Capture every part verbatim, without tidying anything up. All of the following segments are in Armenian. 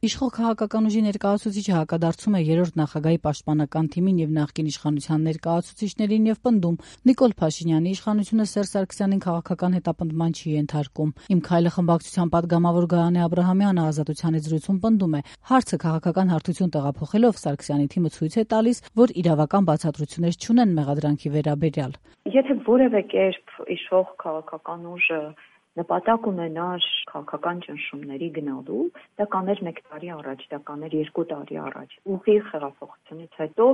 Իշխող քաղաքական ուժի ներկայացուցիչը հակադարձում է երրորդ նախագահի պաշտպանական թիմին եւ նախկին իշխանության ներկայացուցիչներին եւ պնդում՝ Նիկոլ Փաշինյանի իշխանությունը Սերժ Սարգսյանին քաղաքական հետապնդման չի ենթարկում։ Իմ քայլը խմբակցության պատգամավոր Գայանե Աբրահամյանը Ազատության զրույցում պնդում է՝ հարցը քաղաքական հարթություն տեղափոխելով Սարգսյանի թիմը ցույց է տալիս, որ իրավական բացատրություններ չունեն մեղադրանքի վերաբերյալ։ Եթե որևէ կերպ իշխող քաղաքական ուժը նպատակ ունենար քաղաքական ճնշումների գնալու, դա կաներ մեկ տարի առաջ, դա կաներ երկու տարի առաջ, ուղիղ հեղափոխությունից հետո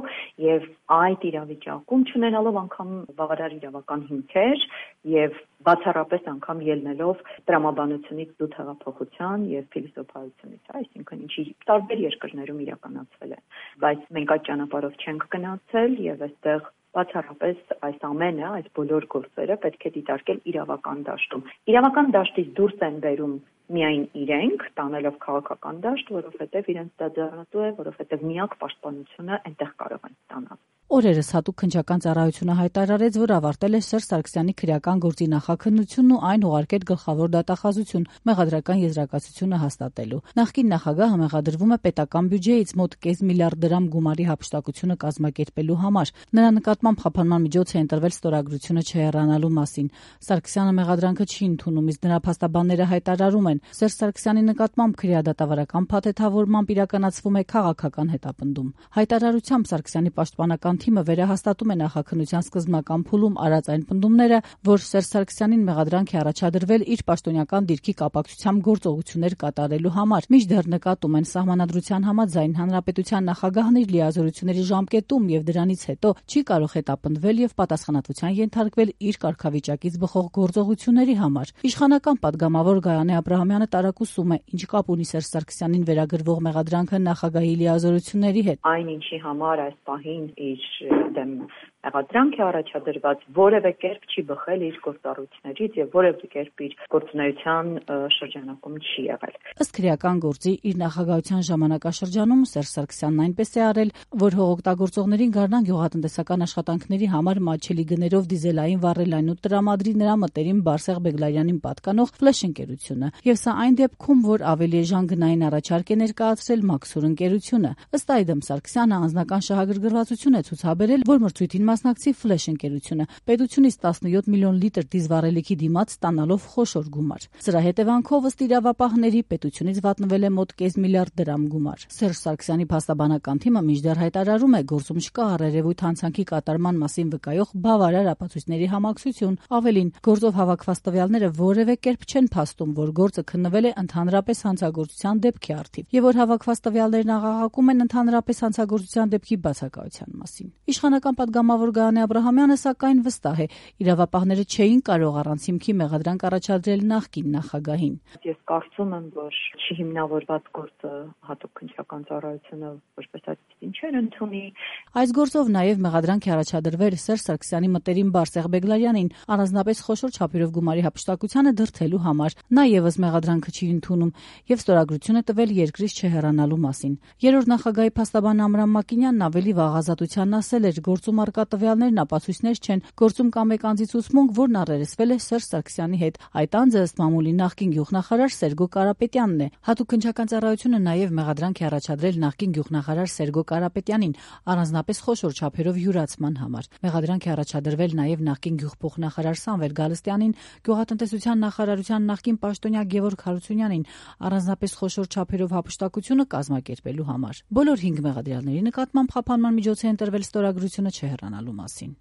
եւ այդ իրավիճակում չունենալով անգամ բավարար իրավական հիմքեր եւ բացառապես անգամ ելնելով տրամաբանությունից դուտ հեղափոխության եւ փիլիսոփայությունից, այսինքն ինչի տարբեր երկրներում իրականացվել է, բայց մենք այդ ճանապարհով չենք գնացել եւ այստեղ բացառապես այս ամենը, այս բոլոր գործերը պետք է դիտարկել իրավական դաշտում։ Իրավական դաշտից դուրս են բերում միայն իրենք, տանելով քաղաքական դաշտ, որովհետև իրենց դա ձեռնտու է, որովհետև միակ պաշտպանությունը այնտեղ կարող են ստանալ։ Օրերս հատուկ քննչական ծառայությունը հայտարարեց, որ ավարտել է Սերժ Սարգսյանի քրեական գործի նախաքննությունն ու այն ուղարկել գլխավոր դատախազություն մեղադրական եզրակացությունը հաստատելու։ Նախկին նախագահը մեղադրվում է պետական բյուջեից մոտ կես միլիարդ դրամ գումարի հափշտակությունը կազմակերպելու համար։ Նրա նկատմամբ խափանման միջոց է ընտրվել ստորագրությունը չհեռանալու մասին։ Սարգսյանը մեղադրանքը չի ընդունում, իսկ նրա փաստաբանները հայտարարում են՝ Սերժ Սարգսյանի նկատմամբ քրեադատավարական փաթեթավորմամբ իրականացվում է քաղաքական հետապնդում։ Հայտարարությամբ Սարգսյանի պաշտպանական թիմը վերահաստատում է նախաքննության սկզբնական փուլում արած այն պնդումները, որ Սերժ Սարգսյանին մեղադրանք է առաջադրվել իր պաշտոնյական դիրքի կապակցությամբ գործողություններ կատարելու համար։ Մինչդեռ նկատում են սահմանադրության համաձայն հանրապետության նախագահն իր լիազորությունների ժամկետում եւ դրանից հետո չի կարող հետապնդվել եւ պատասխանատվության ենթարկվել իր կարգավիճակից բխող գործողությունների համար։ Իշխանական պատգամավոր Գայանե Աբրահամյանը տարակուսում է, ինչ կապ ունի Սերժ Սարգսյանին վերագրվող մեղադրանքը նախագահի լիազորությունների հետ։ Այն ինչի համար այս պահին իր դեմ մեղադրանք է առաջադրված, որևէ կերպ չի բխել իր գործառույթներից եւ որևէ կերպ իր գործունեության շրջանակում չի եղել։ Ըստ քրեական գործի իր նախագահության ժամանակաշրջանում Սերժ Սարգսյանն այնպես է արել, որ հողօգտագործողներին Գառնան գյուղատնտեսական աշխատանքների համար մատչելի գներով դիզելային վառելային ու տրամադրի նրա մտերիմ Բարսեղ Բեգլարյանին պատկանող Ֆլեշ ընկերությունը։ Եվ սա այն դեպքում, որ ավելի էժան գնային առաջարկ է ներկայացրել Մաքսուր ընկերությունը։ Ըստ այդմ Սարգսյանը անձնական շահագրգռվածություն է ցուցաբերել, որ մրցույթին մասնակցի Ֆլեշ ընկերությունը պետությունից տասնյոթ միլիոն լիտր դիզվառելիքի դիմաց ստանալով խոշոր գումար։ Սրա հետևանքով ըստ իրավապահների պետությունից վատնվել է մոտ կես միլիարդ դրամ գումար։ Սերժ Սարգսյանի փաստաբանական թիմը մինչդեռ հայտարարում է, գործում չկա առերևույթ հանցանքի կատարման մասին վկայող բավարար ապացույցների համակցություն։ Ավելին, գործով հավաքված տվյալները որևէ կերպ չեն փաստում, որ գործը քննվել է ընդհանրապես հանցագործության դեպքի առթիվ եւ որ հավաքված տվյալներն աղաղակում են ընդհանրապես հանցագործության դեպքի բացակայության մասին։ Իշխանական պատգամավոր Գայանե Աբրահամյանը սակայն վստահ է, իրավապահները չէին կարող առանց հիմքի մեղադրանք առաջադրել նախկին նախագահին։ Ես կարծում եմ, որ չհիմնավորված գործը հատուկ քննչական ծառայությունը որպես այդպեսին չէր ընդունի։ Այս գործով նաև մեղադրանք է առաջադրվել Սերժ Սարգսյանի մտերիմ Բարսեղ Բեգլարյանին առանձնապես խոշոր չափերով գումարի հափշտակությանը դրդելու համար։ Նա եւս մեղադրանքը չի ընդունում եւ ստորագրություն է տվել երկրից չհեռանալու մասին։ Երրորդ նախագահի փաստաբան Ամրամ Մակինյանն ավելի վաղ Ազատությանն ասել էր, գործում արկա տվյալներն ապացույցներ չեն, գործում կա մեկ անձի ցուցմունք, որն առերեսվել է Սերժ Սարգսյանի հետ։ Այդ անձը ըստ մամուլի նախկին գյուղնախարար Սերգո Կարապետյանն է։ Հատուկ քննչական ծառայությունը նաև մեղադրանք է առաջադրել նախկին գյուղնախարար Սերգո Կարապետյանին առանձնապես խոշոր չափերով յուրացման համար։ Մեղադրանք է առաջադրվել նաև նախկին գյուղփոխնախարար Սամվել Գալստյանին, գյուղատնտեսության նախարարության նախկին պաշտոնյա Գևորգ Հարությունյանին առանձնապես խոշոր չափերով հափշտակությունը կազմակերպելու համար։ Բոլոր հինգ մեղադրյալների նկատմամբ խափանման միջոց է ընտրվել ստորագրությունը չհեռանալու մասին։